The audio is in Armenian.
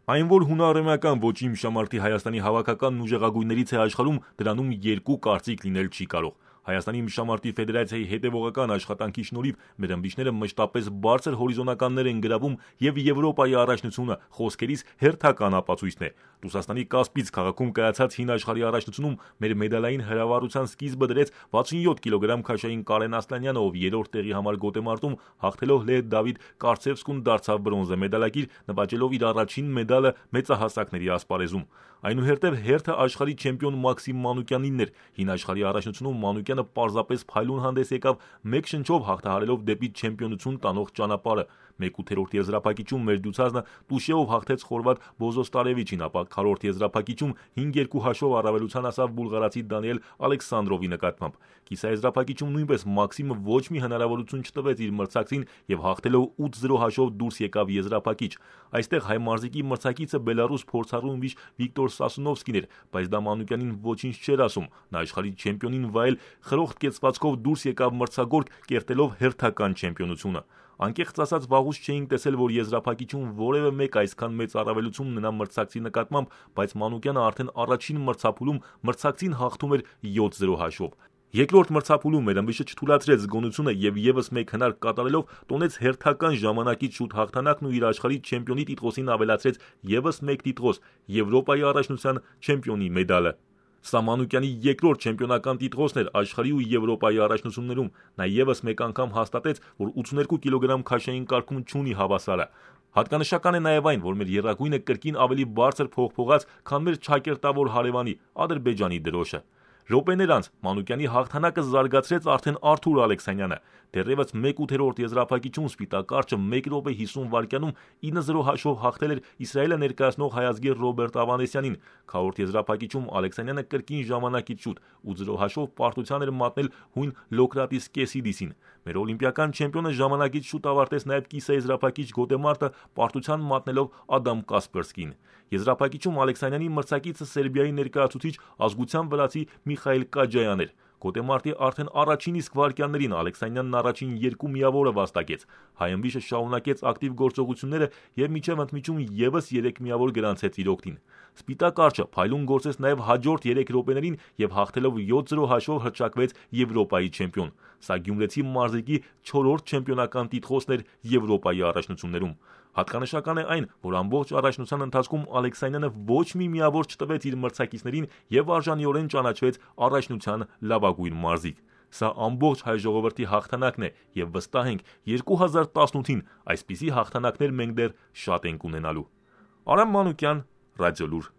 Այն, որ հունարեմական ոչի իմշամարտի Հայաստանի հավաքականն ուժեղագույններից է աշխարհում, դրանում երկու կարծիք լինել չի կարող։ Հայաստանի իմշամարտի ֆեդերացիայի հետևողական աշխատանքի շնորհիվ մեր ըմբիշները մշտապես բարձր հորիզոնականներ են գրավում եւ Եվրոպայի առաջնությունը խոսքերից հերթական ապացույցն է։ Ռուսաստանի Կասպից քաղաքում կայացած հին աշխարհի առաջնությունում մեր մեդալային հրավառության սկիզբը դրեց 67 կիլոգրամ քաշային Կարեն Ասլանյանը, ով երրորդ տեղի համար գոտեմարտում հաղթելով Լեհ Դավիթ Կարցևսկուն դարձավ բրոնզե մեդալակիր, նվաճելով իր առաջին մեդալը մեծահասակների ասպարեզում։ Այնուհետև հերթը աշխարհի չեմպիոն Մաքսիմ Մանուկյանինն էր։ Հին աշխարհի առաջնությունում Մանուկյանը պարզապես փայլուն հանդես եկավ, մեկ շնչով հաղթահարելով դեպի չեմպիոնություն տանող ճանապարհը։ 1/8 եզրափակիչում մեր դյուցազնը Տուշեով հաղթեց խորվատ Բոզոստարևիչին, ապա 4-րդ եզրափակիչում 5-2 հաշվով առավելության հասավ բուլղարացի Դանիել Ալեքսանդրովի նկատմամբ։ Կիսաեզրափակիչում նույնպես Մաքսիմը ոչ մի հնարավորություն չտվեց իր մրցակցին եւ հաղթելով 8-0 հաշվով դուրս եկավ եզրափակիչ։ Այստեղ հայ մարզիկի մրցակիցը բելարուս փորձառու ումվիչ Վիկտոր Սասունովսկին էր, բայց դա Մանուկյանին ոչինչ չէր ասում։ Նա աշխարհի չեմպիոնին վայել խրոխտ կեցվածքով դուրս եկավ մրցագորգ, կերտելով հերթական չեմպիոնությունը։ Անկեղծ ասած, վաղուց չէինք տեսել, որ եզրափակիչում որևէ մեկ այսքան մեծ առավելություն ունենա մրցակցի նկատմամբ, բայց Մանուկյանը արդեն առաջին մրցափուլում մրցակցին հաղթում էր 7-0 հաշվով։ Երկրորդ մրցափուլում մեր ըմբիշը չթույլատրեց զգոնությունը եւ եւս մեկ հնարք կատարելով տոնեց հերթական ժամանակից շուտ հաղթանակն ու իր աշխարհի չեմպիոնի տիտղոսին ավելացրեց եւս մեկ տիտղոս՝ Եվրոպայի առաջնության չեմպիոնի մեդալը։ Սա Մանուկյանի երկրորդ չեմպիոնական տիտղոսն էր աշխարհի ու Եվրոպայի առաջնություններում։ Նա եւս մեկ անգամ հաստատեց, որ 82 կիլոգրամ քաշային կարգում չունի հավասարը։ Հատկանշական է նաև այն, որ մեր եռագույնը կրկին ավելի բարձր փողփողաց, քան մեր ճակերտավոր հարևանի Ադրբեջանի դրոշը։ Րոպեներ անց Մանուկյանի հաղթանակը զարգացրեց արդեն Արթուր Ալեքսանյանը։ Դեռևս 1/8 եզրափակիչում Սպիտակ արջը 1 րոպե 50 վայրկյանում 9-0 հաշվով հաղթել էր Իսրայելը ներկայացնող հայազգեր Ռոբերտ Ավանեսյանին։ Քառորդ եզրափակիչում Ալեքսանյանը կրկին ժամանակից շուտ 8-0 հաշվով պարտության էր մատնել հույն Լոկրատիս Կեսիդիսին։ Մեր օլիմպիական չեմպիոնը ժամանակից շուտ ավարտեց նաև կիսաեզրափակիչ գոտեմարտը, պարտության մատնելով Ադամ Կասպերսկին։ Եզրափակիչում Ալեքսանյանի մրցակիցը Սերբիայի ներկայացուցիչ ազգության վրացի Միխայիլ Կաջայան էր։ Գոտեմարտի արդեն առաջին իսկ վայրկյաններին Ալեքսանյանն առաջին երկու միավորը վաստակեց։ Հայ ըմբիշը շարունակեց ակտիվ գործողությունները եւ մինչեւ ընդմիջում եւս 3 միավոր գրանցեց իր օգտին։ Սպիտակ արջը փայլուն գործեց նաև հաջորդ 3 րոպեներին եւ հաղթելով 7-0 հաշվով հռչակվեց Եվրոպայի չեմպիոն։ Սա գյումրեցի մարզիկի 4-րդ չեմպիոնական տիտղոսն էր Եվրոպայի առաջնություններում։ Հատկանշական է այն, որ ամբողջ առաջնության ընթացքում Ալեքսանյանը ոչ մի միավոր չտվեց իր մրցակիցներին եւ արժանիորեն ճանաչվեց առաջնության լավագույն մարզիկ։ Սա ամբողջ հայ ժողովրդի հաղթանակն է եւ վստահ ենք 2018-ին այսպիսի հաղթանակներ մենք դեռ շատ ենք ունենալու։ Արամ Մանուկյան, Ռադիոլուր։